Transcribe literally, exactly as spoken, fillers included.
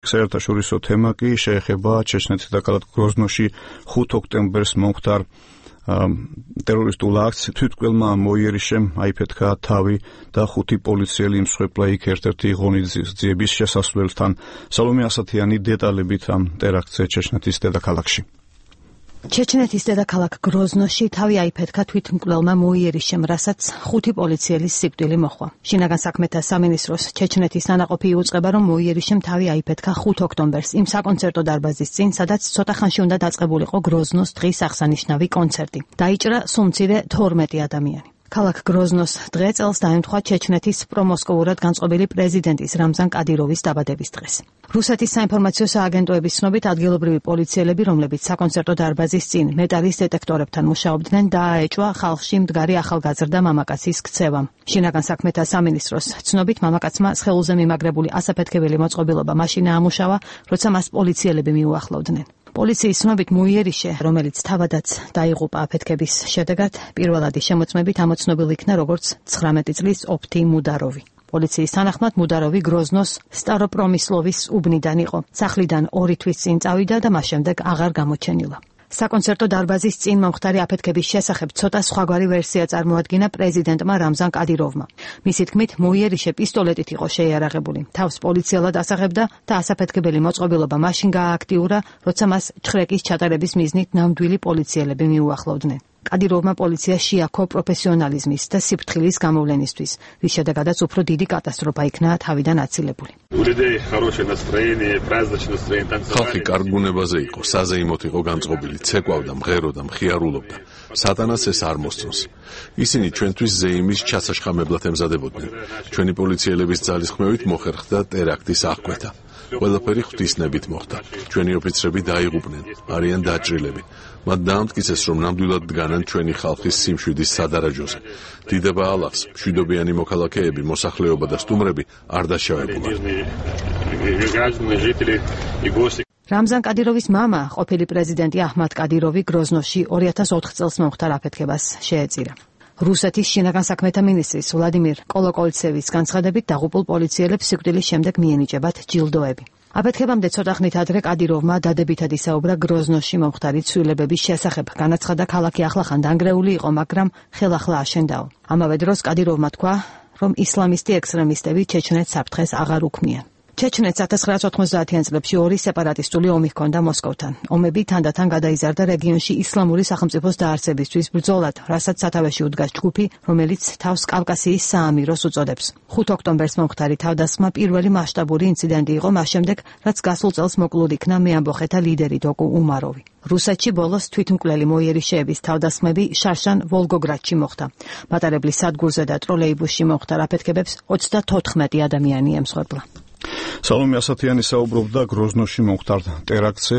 საერთაშორისო თემა კი შეეხება ჩეჩნეთის დედაქალაქ გროზნოში ხუთი ოქტომბერს მომხდარ ტერორისტულ აქტს. თვითმკვლელმა მოიერიშემ აიფეთქა თავი და ხუთი პოლიციელი იმსხვერპლა იქ ერთ-ერთი ღონისძიების შესასვლელთან. სალომე ასათიანი დეტალებით ამ ტერაქტზე ჩეჩნეთის დედაქალაქში. ჩეჩნეთის დედაქალაქ გროზნოში თავი აიფეთქა თვითმკვლელმა მოიერიშემ, რასაც ხუთი პოლიციელის სიკვდილი მოჰყვა. შინაგან საქმეთა სამინისტროს ჩეჩნეთის ანაყოფი იუწყება, რომ მოიერიშემ თავი აიფეთქა ხუთი ოქტომბერს იმ საკონცერტო დარბაზის წინ, სადაც ცოტა ხანში უნდა დაწყებულიყო გროზნოს დღის აღსანიშნავი კონცერტი. დაიჭრა სულ მცირე თორმეტი ადამიანი. ქალაქ გროზნოს დღე წელს დაემთხვა ჩეჩნეთის პრომოსკოვურად განწყობილი პრეზიდენტის რამზან კადიროვის დაბადების დღეს. რუსეთის საინფორმაციო სააგენტოების ცნობით ადგილობრივი პოლიციელები, რომლებიც საკონცერტო დარბაზის წინ მეტალის დეტექტორებთან მუშაობდნენ, დააეჭვა ხალხში მდგარი ახალგაზრდა მამაკაცის ქცევამ. შინაგან საქმეთა სამინისტროს ცნობით მამაკაცმა სხეულზე მიმაგრებული ასაფეთქებელი მოწყობილობა მაშინ აამუშავა, როცა მას პოლიციელები მიუახლოვდნენ. პოლიციის ცნობით მოიერიშე, რომელიც თავადაც დაიღუპა აფეთქების შედეგად, პირველადი შემოწმებით ამოცნობილ იქნა როგორც ცხრამეტი წლის ოფთი მუდაროვი. პოლიციის თანახმად მუდაროვი გროზნოს სტაროპრომისლოვის უბნიდან იყო. სახლიდან ორი თვის წინ წავიდა და მას შემდეგ აღარ გამოჩენილა. საკონცერტო დარბაზის წინ მომხდარი აფეთქების შესახებ ცოტა სხვაგვარი ვერსია წარმოადგინა პრეზიდენტმა რამზან კადიროვმა. მისი თქმით, მოიერიშე პისტოლეტით იყო შეიარაღებული. თავს პოლიციელად ასაღებდა და ასაფეთქებელი მოწყობილობა მაშინ გაააქტიურა, როცა მას ჩხრეკის ჩატარების მიზნით ნამდვილი პოლიციელები მიუახლოვდნენ. კადიროვმა პოლიცია შეაქო პროფესიონალიზმის და სიფრთხილის გამოვლენისთვის, რის შედეგადაც უფრო დიდი კატასტროფა იქნა თავიდან აცილებული. ხალხი კარგ ბუნებაზე იყო, საზეიმოდ იყო განწყობილი, ცეკვავდა, მღეროდა, მხიარულობდა. სატანას ეს არ მოსწონს. ისინი ჩვენთვის ზეიმის ჩასაშხამებლად ემზადებოდნენ. ჩვენი პოლიციელების ძალისხმევით მოხერხდა ტერაქტის აღკვეთა. ყველაფერი ღვთისნებით მოხდა. ჩვენი ოფიცრები დაიღუპნენ, არიან დაჭრილები. მათ დაამტკიცეს, რომ ნამდვილად დგანან ჩვენი ხალხის სიმშვიდის სადარაჯოზე. დიდება ალახს, მშვიდობიანი მოქალაქეები, მოსახლეობა და სტუმრები არ დაშავებულა. რამზან კადიროვის მამა, ყოფილი პრეზიდენტი აჰმად კადიროვი გროზნოში ორი ათას ოთხ წელს მომხდარ აფეთქებას შეეწირა. რუსეთის შინაგან საქმეთა მინისტრის ვლადიმირ კოლოკოლცევის განცხადებით, დაღუპულ პოლიციელებს სიკვდილის შემდეგ მიენიჭებათ ჯილდოები. აფეთქებამდე ცოტა ხნით ადრე კადიროვმა დადებითად ისაუბრა გროზნოში მომხდარი ცვლილებების შესახებ. განაცხადა, ქალაქი ახლახან დანგრეული იყო, მაგრამ ხელახლა აშენდაო. ამავე დროს კადიროვმა თქვა, რომ ისლამისტი ექსტრემისტები ჩეჩნეთს საფრთხეს აღარ უქმნიან. ჩეჩნეთს ათას ცხრაასი ოთხმოცდაათიან წლებში ორი სეპარატისტული ომი ჰქონდა მოსკოვთან. ომები თანდათან გადაიზარდა რეგიონში ისლამური სახელმწიფოს დაარსებისთვის ბრძოლად, რასაც სათავეში უდგას ჯგუფი, რომელიც თავს კავკასიის საამიროს უწოდებს. ხუთი ოქტომბერს მომხდარი თავდასხმა პირველი მასშტაბური ინციდენტი იყო მას შემდეგ, რაც გასულ წელს მოკლულ იქნა მეამბოხეთა ლიდერი დოკუ უმაროვი. რუსეთში ბოლოს თვითმკვლელი მოიერიშეების თავდასხმები შარშან ვოლგოგრადში მოხდა. მატარებლის სადგურზე და ტროლეიბუსში მომხდარ აფეთქებებს ოცდათოთხმეტი ადამიანი ემსხვერპლა. სალომე ასათიანი საუბრობდა გროზნოში მომხდარ ტერაქტზე.